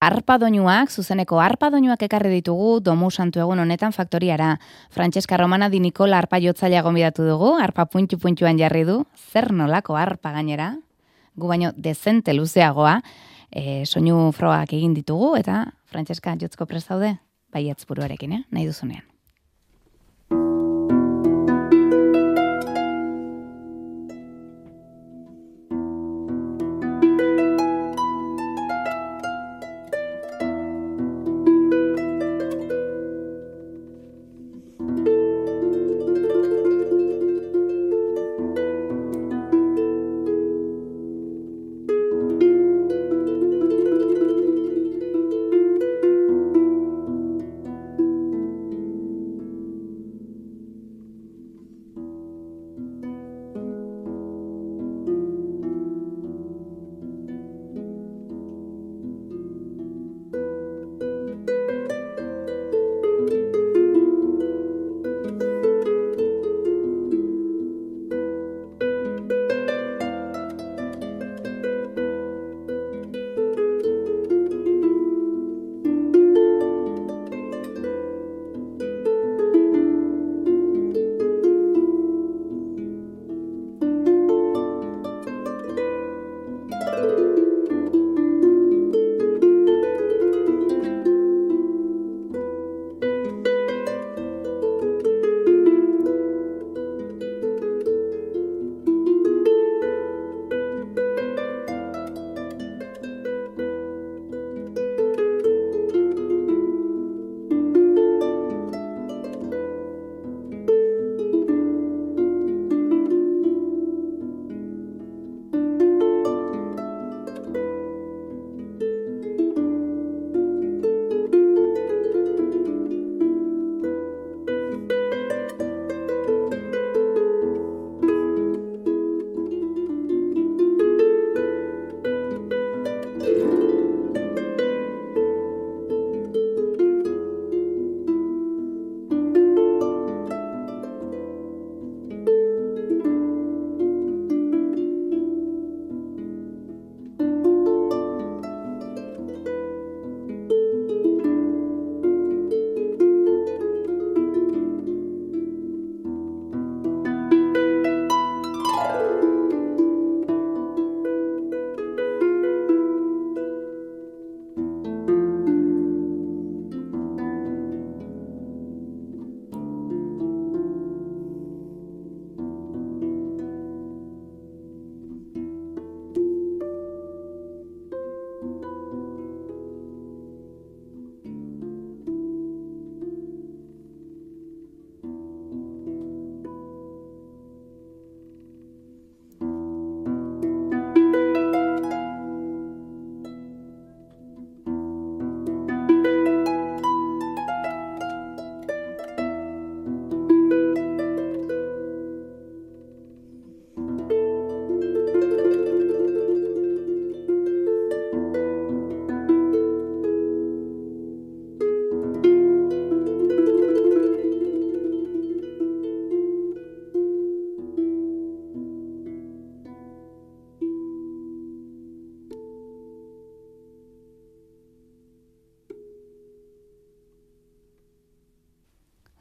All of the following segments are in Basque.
Arpa doinuak, zuzeneko arpa doinuak ekarri ditugu Domu Santu egun honetan faktoriara. Francesca Romana Di Nicola arpa jotzailea gonbidatu dugu, arpa puntu-puntuan jarri du, zer nolako arpa gainera, gu baino dezente luzeagoa, soinu frogak egin ditugu, eta Francesca jotzko prest daude, baietz buruarekin, nahi duzunean.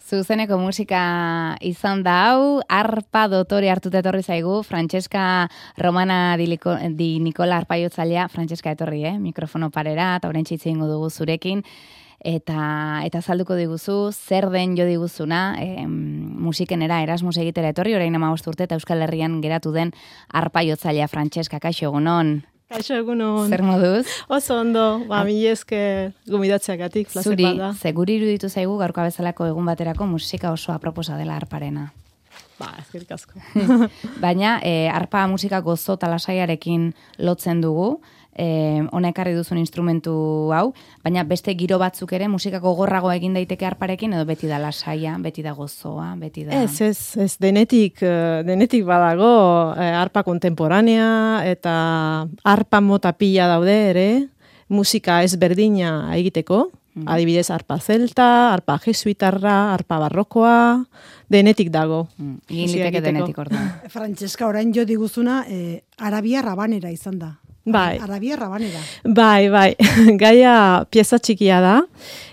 Zuzeneko musika izan da hau, arpa dotore hartuta etorri zaigu, Francesca Romana Di Nicola arpa jotzailea, Francesca etorri, mikrofono parera, eta oraintxe hitz egingo dugu zurekin, eta azalduko diguzu, zer den jo diguzuna, musikenera Erasmus egitera etorri, orain 15 urte eta Euskal Herrian geratu den arpa jotzailea Francesca, kaixo egunon. Kaixo egunon. Zer moduz? Oso ondo, mila esker gomidatzeagatik, plazer bada. Zuri iruditu zaigu gaurko bezalako egun baterako musika oso aproposa dela arparena. Eskerrik asko. Baina, arpa musika gozo eta lasaiarekin lotzen dugu, hona ekarri duzun instrumentu hau, baina beste giro batzuk ere musika gogorrago egin daiteke arparekin, edo beti da lasaia, beti da gozoa, beti da... Ez, denetik badago arpa kontemporanea, eta arpa mota pila daude ere, musika ezberdina egiteko, adibidez arpa zelta, arpa jesuitarra, arpa barrokoa, denetik dago. Egin liteke denetik orduan. Francesca, orain jo diguzuna, Arabia rabanera izan da. Bai. Arabia Rabanera. Bai. Gaia pieza txikia da,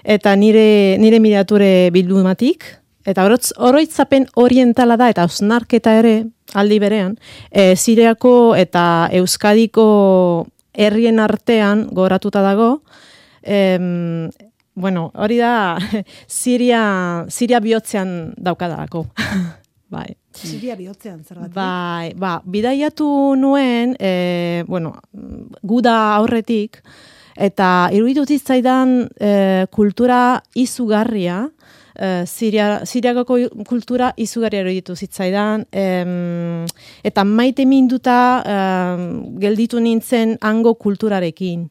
eta nire miniature bildumatik, eta oroitzapen orientala da, eta osnarketa ere, aldi berean, Siriako eta Euskadiko herrien artean goratuta dago, hori da Siria bihotzean daukadalako. Bai. Siria bihotzean, zergatik? Bai, bidaiatu nuen, guda aurretik, eta iruditu zitzaidan kultura izugarria, Siriako kultura izugarria iruditu zitzaidan, eta maite minduta gelditu nintzen hango kulturarekin,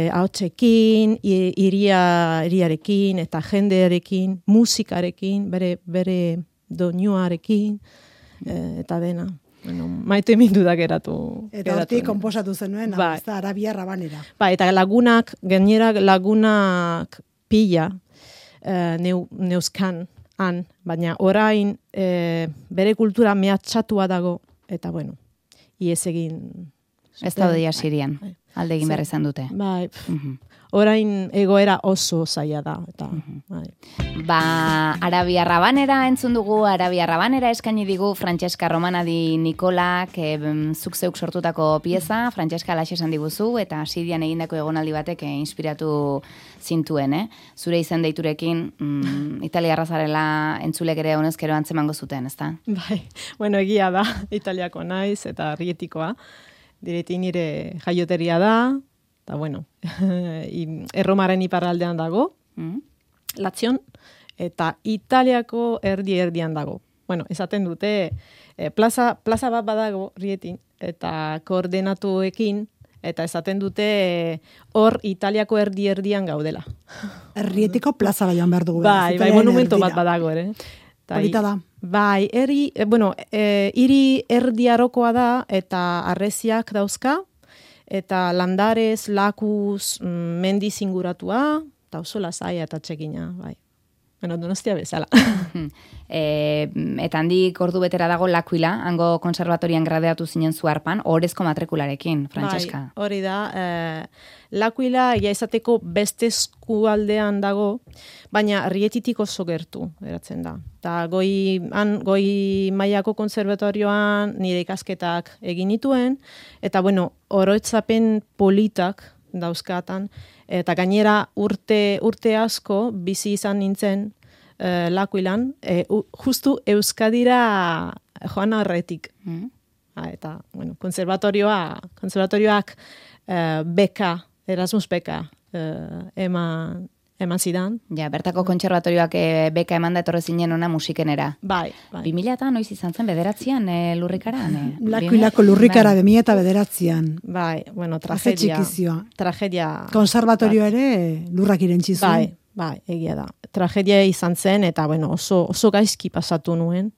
ahotsekin, iriarekin, eta jendearekin, musikarekin, bere doinuarekin, eta dena. Maite mindudak eratu. Eta hortik konposatu zenuen, ez da Arabia Rabanera. Eta lagunak pila neuzkan han, baina orain bere kultura mehatxatua dago, eta ies egin. Ez daude Sirian, alde egin behar izan dute. Bai, orain egoera oso zaila da. Eta, Arabia Rabanera entzun dugu, Arabia Rabanera eskaini digu Francesca Romana di Nicolak zuk zeuk sortutako pieza, Francesca alaxe esan diguzu, eta Sirian egindako egonaldi batek inspiratu zintuen, Zure izen deiturekin italiarra zarela entzulek ere honezkero antzemango zuten, ezta? Bai, egia da, italiako naiz eta rietikoa, direti nire jaioteria da, eta Erromaren iparraldean dago, Latzion, eta Italiako erdian dago. Esaten dute, plaza bat badago rietin, eta koordenatuekin, eta esaten dute hor Italiako erdian gaudela. Errietiko plaza joan behar dugu. Bai, monumento bat badago ere. Polita da. Bai, hiri erdiarokoa da, eta arreziak dauzka, eta landarez, lakuz, mendiz inguratua, eta oso lasaia eta txekina, bai. Donostia bezala. Eta handik ordu betera dago L'Aquila, hango konservatorian gradeatu zinen zu harpan, orezko matrikularekin, Francesca. Bai, hori da. L'Aquila izateko beste eskualdean dago, baina Rietitik oso gertu, eratzen da. Eta goi mailako konservatorioan nire ikasketak egin nituen, eta oroitzapen politak dauzkatan, eta gainera urte asko bizi izan nintzen L'Aquilan, justu Euskadira joan horretik. Eta, konservatorioak beka, Erasmus beka eman zidan. Ja, bertako kontserbatorioak beka eman da etorre zinen ona musikenera. Bai. 2000 noiz izan zen, 9 lurrikaran? L'Aquilako lurrikara 2009. Bai, tragedia. Konservatorio ere lurrak irentzi zuen. Bai, egia da. Tragedia izan zen, eta oso gaizki pasatu nuen.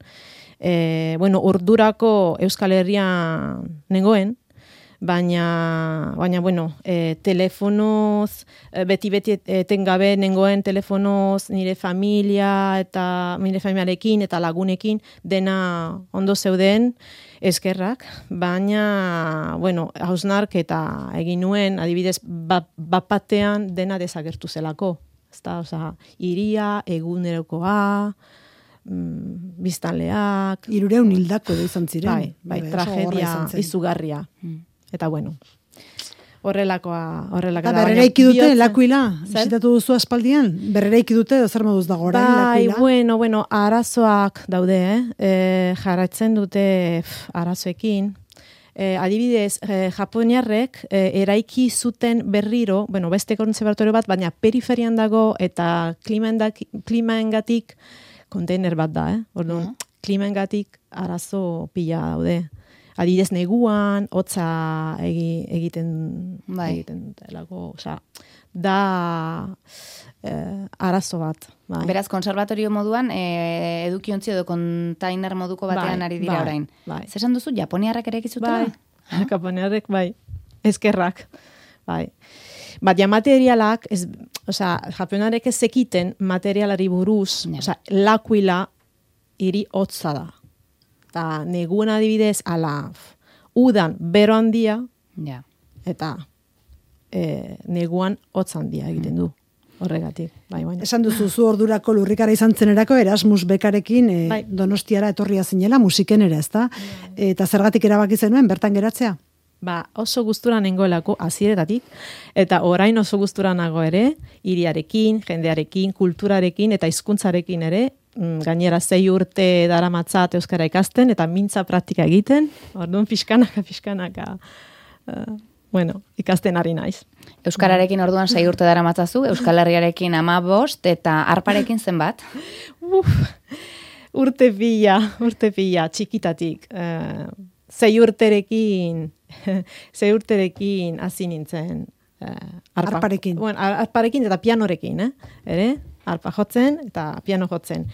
Ordurako Euskal Herrian nengoen, baina telefonoz, beti etengabe nengoen telefonoz nire familiarekin eta lagunekin dena ondo zeuden eskerrak, baina, hausnarketa egin nuen, adibidez, bapatean dena desagertu zelako. Iria, egunerokoa, biztanleak. 300 hildako da izan ziren. Bai, tragedia izugarria. Eta horrelakoa. Berreraiki dute, L'Aquila? Bizitatu duzu aspaldian? Berreraiki dute, zer moduz dago orain, L'Aquila? Arazoak daude, jarraitzen dute arazoekin. Adibidez, japoniarrek eraiki zuten berriro, beste konservatorio bat, baina periferian dago eta klimaengatik konteiner bat da, Orduan, klimaengatik arazo pila daude. Adibidez, neguan, hotza egiten delako, da arazo bat. Bai. Beraz, konservatorio moduan, edukiontzi edo kontainer moduko batean ari dira orain. Bai. Zesan duzu, japoniarrak ere egizutela? Bai, japoniarrek, bai. Eskerrak, bai. Baina materialak, japoniarek ez zekiten materialari buruz, L'Aquila hiri hotza da. Eta neguan adibidez, udan bero handia, eta neguan hotz handia egiten du. Horregatik, bai. Esan duzu zu ordurako lurrikara izan zenerako Erasmus bekarekin Donostiara etorria zinela musiken ere, ezta? Eta zergatik erabaki zenuen bertan geratzea? Oso gustura nengoelako hasieretatik eta orain oso gustura nago ere, hiriarekin, jendearekin, kulturarekin eta hizkuntzarekin ere, gainera 6 urte daramatzat euskara ikasten eta mintza praktika egiten. Orduan pixkanaka ikasten ari naiz. Euskararekin orduan 6 urte daramatzazu, Euskal Herriarekin 15 eta arparekin zenbat? Urte pila, txikitatik. 6 urterekin hasi nintzen arparekin. Arparekin eta pianorekin, ere? Arpa jotzen eta piano jotzen.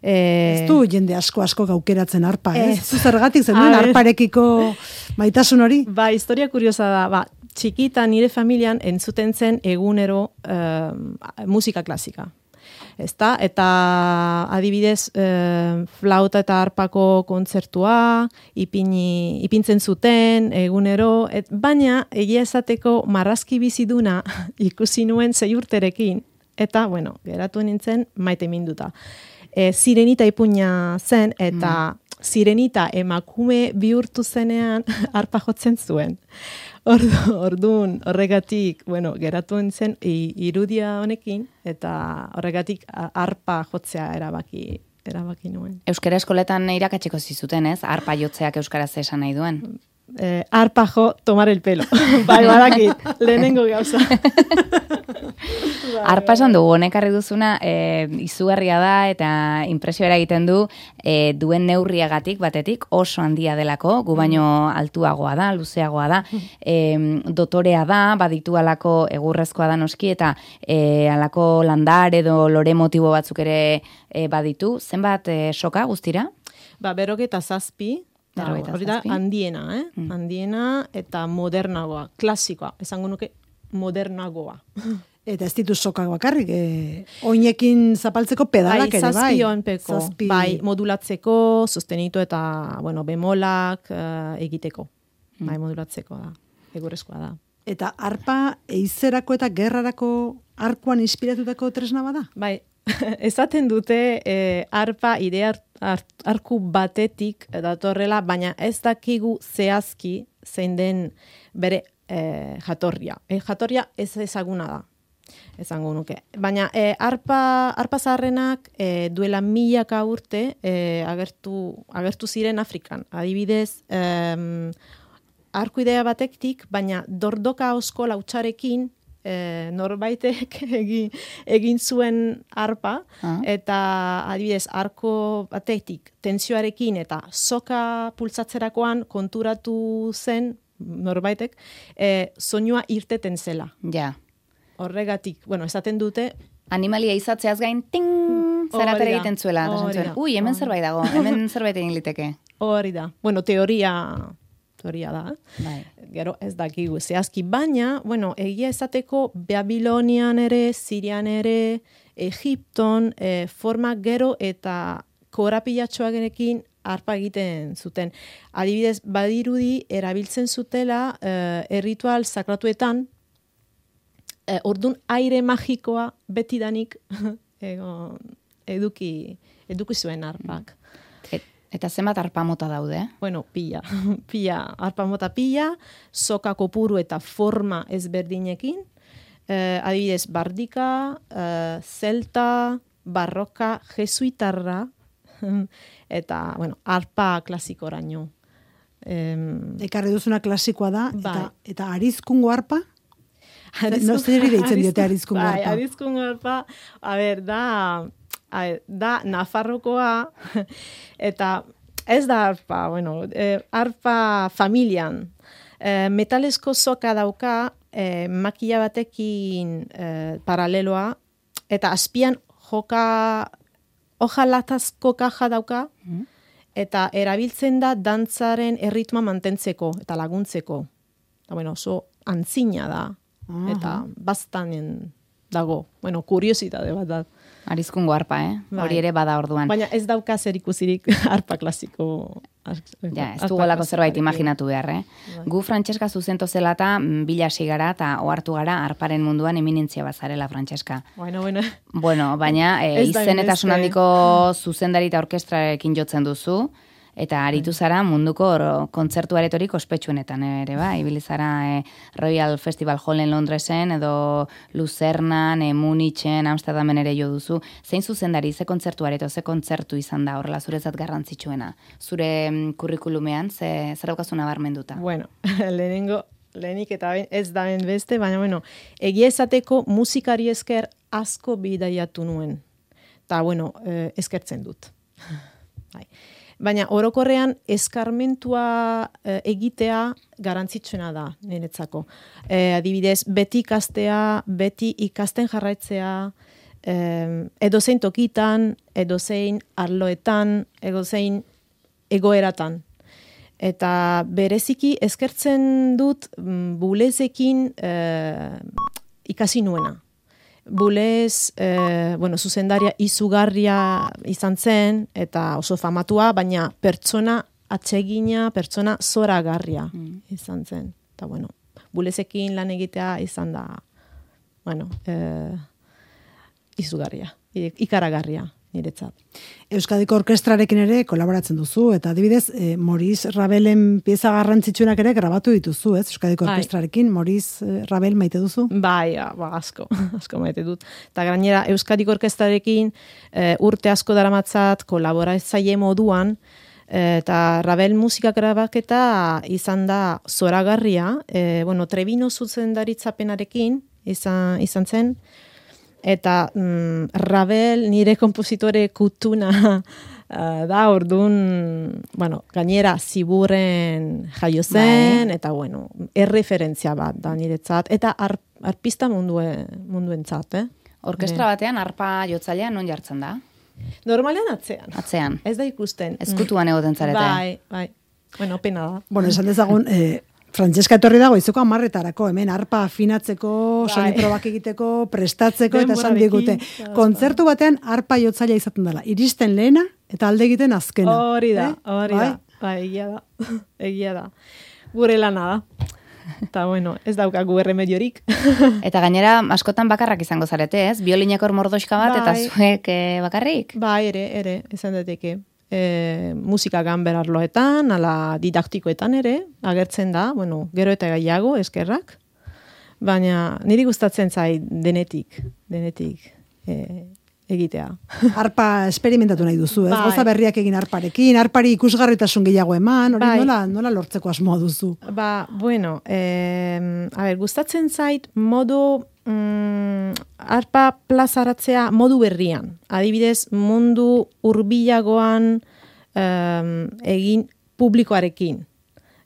Ez du jende asko gaukeratzen arpa, zergatik zenuen arparekiko maitasun hori? Historia kuriosa da, txikita nire familian entzuten zen egunero musika klasika. Ezta? Eta adibidez flauta eta arpako kontzertua ipintzen zuten egunero, baina egia esateko marrazki biziduna ikusi nuen 6 urterekin eta geratu nintzen maite minduta. Sirenita ipuina zen eta Sirenita emakume bihurtu zenean arpa jotzen zuen. Orduan, horregatik, geratu nintzen irudia honekin eta horregatik arpa jotzea erabaki nuen. Euskara eskoletan irakatsiko zizuten, ez? Arpa jotzeak euskaraz esan nahi duen. Arpa jo, tomar el pelo. Badakit, lehenengo gauza. Arpa esan dugu, honekarri duzuna, izugarria da eta impresioa egiten du duen neurriagatik batetik oso handia delako, gu baino altuagoa da, luzeagoa da, dotorea da, baditu alako egurrezkoa da noski, eta alako landar edo lore motibo batzuk ere baditu. Zenbat soka guztira? 57, hori da handiena, handiena eta modernagoa, klasikoa, esango nuke modernagoa. Eta ez ditu sokak bakarrik, oinekin zapaltzeko pedalak ere, bai? Zazpionpeko, modulatzeko, sostenitu eta, bemolak egiteko. Modulatzeko da, egurrezkoa da. Eta arpa eizerako eta gerrarako arkuan inspiratutako tresna bada? Esaten dute arpa idea arku batetik datorrela, baina ez dakigu zehazki zein den bere jatorria. Jatorria ez ezaguna da, esango nuke. Baina arpa zaharrenak duela 1000 urte agertu ziren Afrikan. Adibidez, arku idea batetik, baina dordoka osko lautxarekin norbaitek egin zuen arpa, eta adibidez, arko batetik tentsioarekin eta soka pulsatzerakoan konturatu zen norbaitek, soinua irteten zela. Ja. Horregatik, esaten dute... Animalia izatzeaz gain, ting, zeraper egiten zuela. Ui, hemen zerbait dago, hemen zerbait egin liteke. Hori da. Teoria da. Gero ez dakigu zehazki, baina, egia esateko Babilonian ere, Sirian ere, Egipton, forma gero eta korapilatxoarekin arpa egiten zuten. Adibidez, badirudi erabiltzen zutela erritual sakratuetan, ordun aire magikoa betidanik eduki zuen arpak. Eta zenbat arpa mota daude? Pila, arpa mota pila, soka kopuru eta forma ezberdinekin, adibidez, bardika, zelta, barroka, jesuitarra, eta, arpa klasikoraino. Ekarri duzuna klasikoa da, eta arizkungo arpa? No zer deitzen diote arizkungo arpa? Arizkungo arpa, da Nafarrokoa, eta ez da arpa, arpa familian. Metalesko soka dauka, makila batekin paraleloa, eta azpian hojalatazko kaja dauka, eta erabiltzen da dantzaren erritmoa mantentzeko eta laguntzeko. Oso antzina da, eta bastanen dago. Bueno, kuriositate bat da. Arizkungo arpa, Bai. Hori ere bada orduan. Baina ez dauka zer ikusirik arpa klasiko. Ja, ez dugolako zerbait imaginatu behar, Bai. Gu Frantseska zuzento zelata bilasi gara eta ohartu gara arparen munduan eminentzia bazarela, Frantseska. Bueno. Bueno, baina Ez da izen eta hainbeste. sonandiko zuzendari eta orkestrarekin jotzen duzu, eta aritu zara munduko kontzertu aretorik ospetsuenetan ere, ibili zara Royal Festival Hallen Londresen, edo Luzernan, Munichen, Amsterdamen ere jo duzu. Zein zuzendari, ze kontzertu areto, ze kontzertu izan da horrela zuretzat garrantzitsuena? Zure kurrikulumean, zer daukazu nabarmenduta? Bueno, lehenik eta ez da beste, baina bueno, egia esateko musikari esker asko bidaiatu nuen. Eta bueno, eskertzen dut. Bai. Baina orokorrean eskarmentua egitea garrantzitsuena da niretzako. Adibidez, beti ikastea, beti ikasten jarraitzea, edozein tokitan, edozein arloetan, edozein egoeratan. Eta bereziki eskertzen dut bulezekin ikasi nuena. Bulez, zuzendaria izugarria izan zen, eta oso famatua, baina pertsona atsegina, pertsona zoragarria izan zen. Eta bulezekin lan egitea izan da, izugarria, ikaragarria niretzat. Euskadiko orkestrarekin ere kolaboratzen duzu, eta adibidez, Maurice Rabelen pieza garrantzitsuenak ere grabatu dituzu, ez? Euskadiko orkestrarekin, Maurice Rabel maite duzu? Bai, asko maite dut. Eta gainera, Euskadiko orkestrarekin urte asko daramatzat kolaboratzaile moduan, eta Rabel musika grabaketa izan da zoragarria, Trebino zuzendaritzapenarekin izan zen, eta Rabel nire konpositore kutuna da, orduan, gainera ziburren jaio zen, eta erreferentzia bat da niretzat, eta arpista munduentzat. Orkestra batean arpa jotzailea non jartzen da? Normalean atzean. Atzean. Ez da ikusten. Ezkutuan egoten zarete. Bai. Pena da. Esan dezagun, Frantseska etorri dago izuko 10etarako, hemen arpa afinatzeko, soni probak egiteko, prestatzeko, eta esan digute. Kontzertu batean arpa jotzailea izaten dela. Iristen lehena eta alde egiten azkena. Hori da. Bai, egia da. Gure lana da. Eta ez daukagu erremediorik. Eta gainera, askotan bakarrak izango zarete, ez? Biolinekor mordoxka bat, eta zuek bakarrik? Bai, ere, izan dateke. Musika ganber arloetan, ala didaktikoetan ere, agertzen da, gero eta gaiago, eskerrak. Baina niri gustatzen zait denetik egitea. Arpa esperimentatu nahi duzu, ez? Goza berriak egin arparekin, arpari ikusgarritasun gehiago eman, hori nola lortzeko asmoa duzu? Gustatzen zait modu arpa plazaratzea modu berrian. Adibidez, mundu hurbilagoan egin publikoarekin.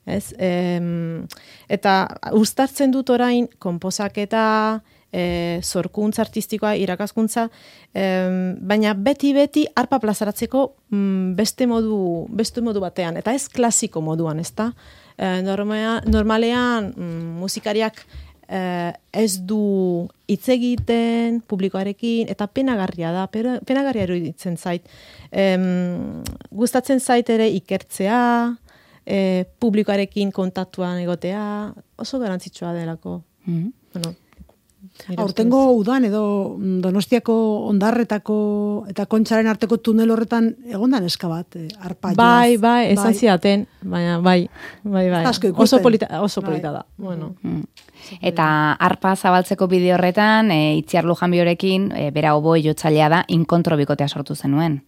Eta uztartzen dut orain konposaketa, zorkuntza artistikoa, irakaskuntza, baina beti arpa plazaratzeko beste modu batean, eta ez klasiko moduan, ezta? Normalean musikariak ez du hitz egiten publikoarekin, eta penagarria da, penagarria eruditzen zait. Gustatzen zait ere ikertzea, publikoarekin kontaktuan egotea, oso garantzitsua delako. Aurtengo udan edo Donostiako ondarretako eta Kontxaren arteko tunel horretan egondan eska bat, arpa joaz. Bai, esan zidaten, baina bai. Oso polita da. Eta arpa zabaltzeko bideo horretan, Itziar Lujanbiorekin, bera oboi jotzailea da, inkontro bikotea sortu zenuen.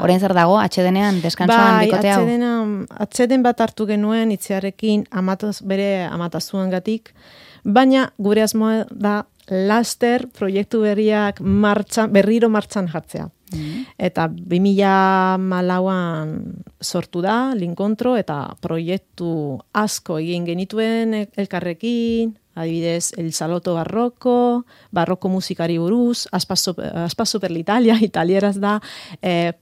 Orain zer dago, atxedenean, deskansoan bikote hau? Atxeden bat hartu genuen Itziarrekin bere amatazuan gatik, baina gure asmoa da laster proiektu berriro martxan jartzea. Eta 2014an sortu da, Linkontro, eta proiektu asko egin genituen elkarrekin, adibidez, El Saloto barroko musikari buruz, Aspaso per l'Italia, italieraz da,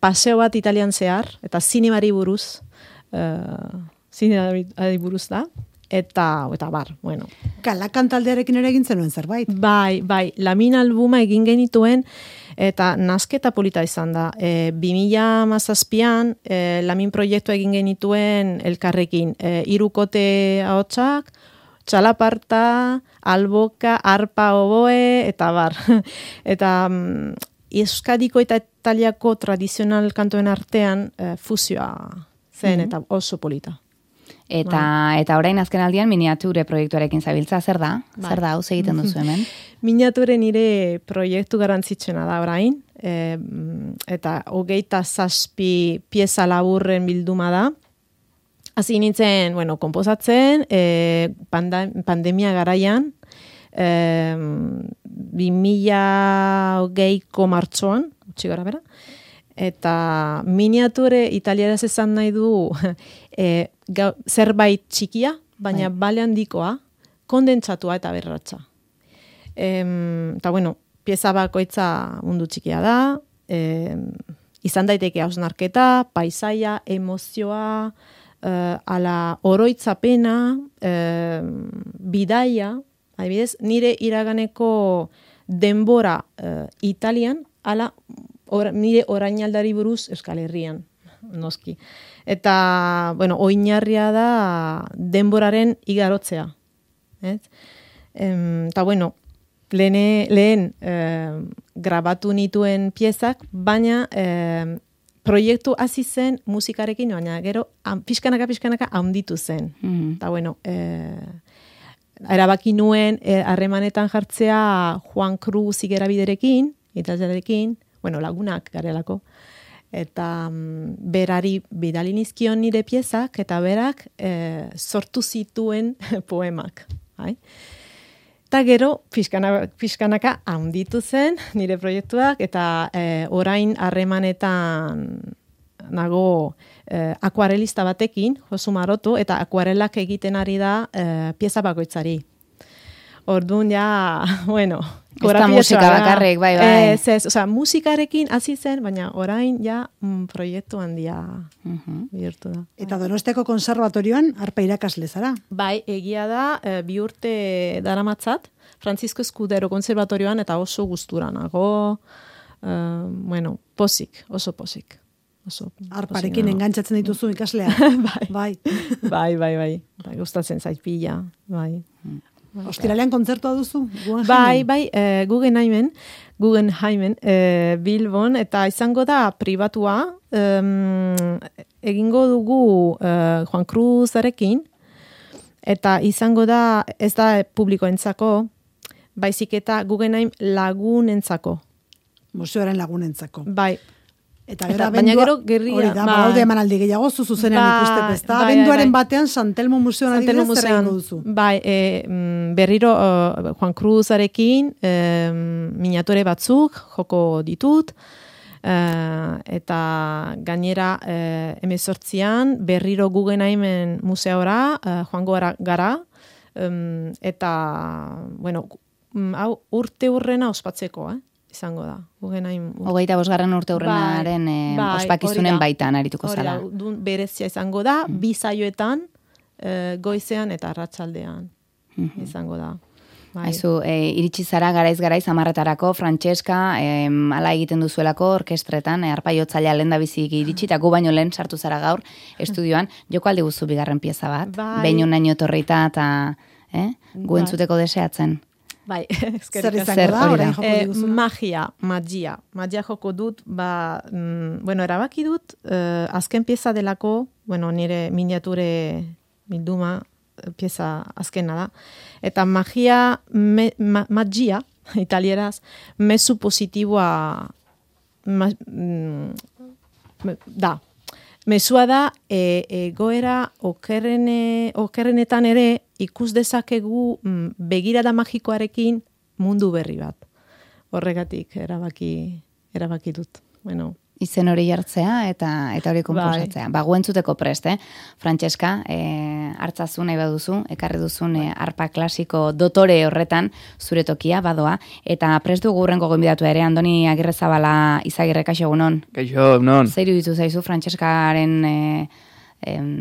paseo bat italian zehar, eta zinemari buruz da, eta bar, bueno. Kalakan taldearekin ere egin zenuen zerbait. Bai, Lamin albuma egin genituen, eta nasketa polita izan da. 2017an Lamin proiektua egin genituen elkarrekin. 3 kote ahotsak, txalaparta, alboka, arpa, oboe, eta bar. Eta Euskadiko eta Italiako tradizional kantoen artean fusioa zen, eta oso polita. Eta orain azken aldian miniature proiektuarekin zabiltza, zer da? Zer da, hau egiten duzu hemen? Miniature nire proiektu garrantzitsena da orain, eta 27 pieza laburren bilduma da. Hasi nintzen, konposatzen, pandemia garaian, 2020ko martxoan, utzi gara bera, eta miniature italieraz esan nahi du zerbait txikia, baina bale handikoa, kondentsatua eta berratza. Eta pieza bakoitza mundu txikia da, izan daiteke hausnarketa, paisaia, emozioa, ala oroitzapena, bidaia, adibidez, nire iraganeko denbora Italian, ala nire orainaldari buruz Euskal Herrian, noski. Eta, oinarria da denboraren igarotzea. Eta, lehen grabatu nituen piezak, baina proiektu hasi zen musikarekin, baina gero pixkanaka handitu zen. Eta, erabaki nuen harremanetan jartzea Juan Cruz igerabiderekin, italiarekin, lagunak garelako, eta berari bidali nizkion nire piezak, eta berak sortu zituen poemak. Eta gero, pixkanaka handitu zen nire proiektuak, eta orain harremanetan nago akuarelista batekin, Josu Maroto, eta akuarelak egiten ari da pieza bakoitzari. Orduan ja, ez da musika bakarrik, bai. Musikarekin hasi zen, baina orain ja proiektu handia bihurtu da. Eta Donostiako konservatorioan arpa irakasle zara? Bai, egia da, 2 urte daramatzat, Francisco Escudero konservatorioan, eta oso gustura nago, oso pozik. Arparekin engantzatzen dituzu ikaslea? Bai. Bai. Gustatzen zait pila, bai. Ostiralean kontzertua duzu? Bai, Guggenheimen, Bilbon, eta izango da pribatua, egingo dugu Juan Cruzarekin, eta izango da, ez da publikoentzako, baizik eta Guggenheim lagunentzako. Museoaren lagunentzako. Bai. Eta baina gero gerria. Hori da, baude emanaldi gehiago zuzenean ikusteko, ez da? Abenduaren batean Santelmo Museoan adibidez zer egingo duzu? Bai, berriro Juan Cruzarekin miniatore batzuk joko ditut, eta gainera 18an berriro Guggenheimen museora joango gara, eta, hau urte hurrena ospatzeko, izango da. Guggenheim. 25. urte hurrenaren ospakizunen baitan arituko zala. Berezia izango da, 2 saioetan, goizean eta arratsaldean izango da. Aizu, iritsi zara garaiz 10etarako, Frantseska, ala egiten duzuelako orkestretan, arpaiotzailea lehendabizik iritsi, eta gu baino lehen sartu zara gaur estudioan, joko aldi guzu bigarren pieza bat, behin unaino torrita eta gu entzuteko deseatzen. Bai, zer izango da, orain joko diguzu? Magia joko dut, erabaki dut, azken pieza delako, nire miniature bilduma pieza azkena da, eta magia, italieraz, mezu positiboa da. Mezua da, egoera okerrenetan ere ikus dezakegu begirada magikoarekin mundu berri bat. Horregatik erabaki dut. Izen hori jartzea eta hori konposatzea. Gu entzuteko prest, Frantseska, hartzazu nahi baduzu, ekarri duzun arpa klasiko dotore horretan zure tokia, badoa, eta prest dugu hurrengo gonbidatu ere, Andoni Agirrezabala Izagirre, kaixo egunon. Kaixo, egunon. Zer iruditu zaizu Frantseskaren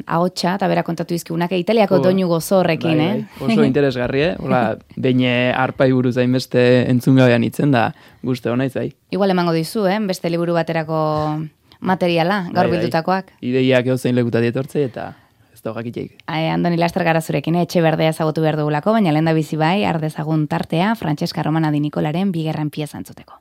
ahotsa, eta bera kontatu izkigunak, Italiako doinu gozo horrekin, Oso interesgarri, Hola, behin arpai buruz hainbeste entzungabean itzen da, guzti hona izai. Igual emango dizu, beste liburu baterako materiala, gaur bildutakoak. Ideiak euzein lekutatik etortzei eta ez da jakiteik. Andoni laster gara zurekin, etxe berdea ezagutu behar dugulako, baina lehen da bizi bai, ardezagun tartea, Francesca Romana Di Nicolaren bigarren pieza entzuteko.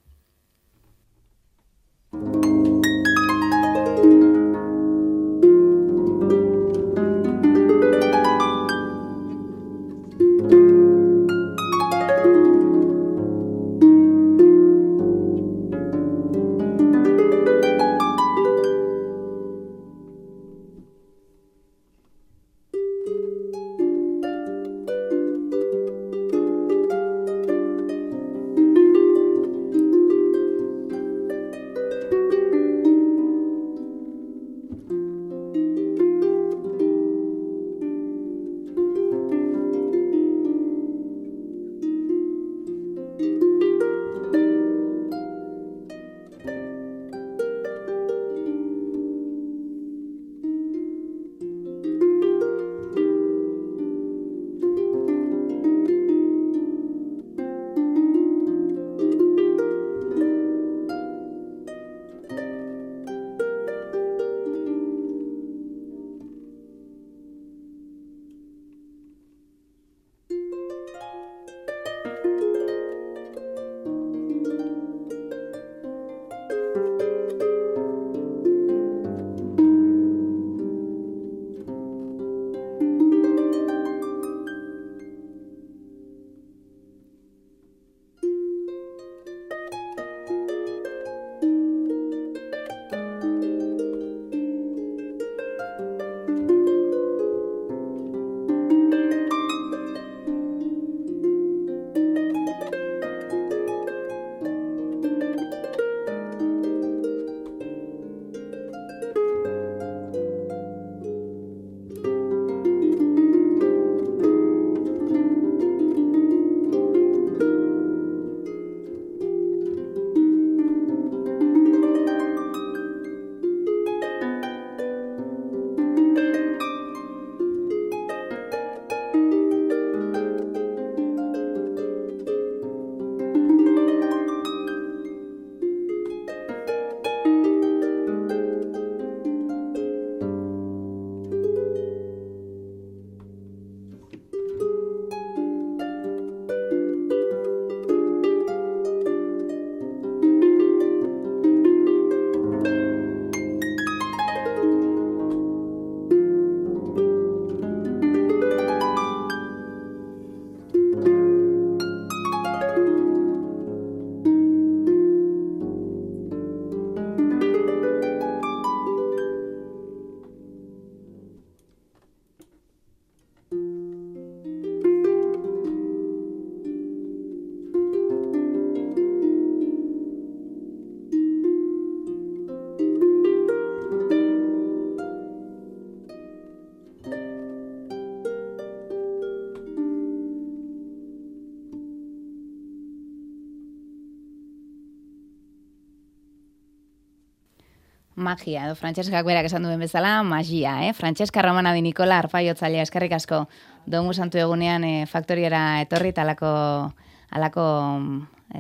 Magia, edo Franceskak berak esan duen bezala, magia, Francesca Romana Di Nicola arpaiotzailea, eskerrik asko, Domu Santu egunean faktoriera etorri eta alako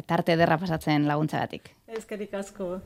tarte ederra pasatzen laguntzagatik. Eskerrik asko.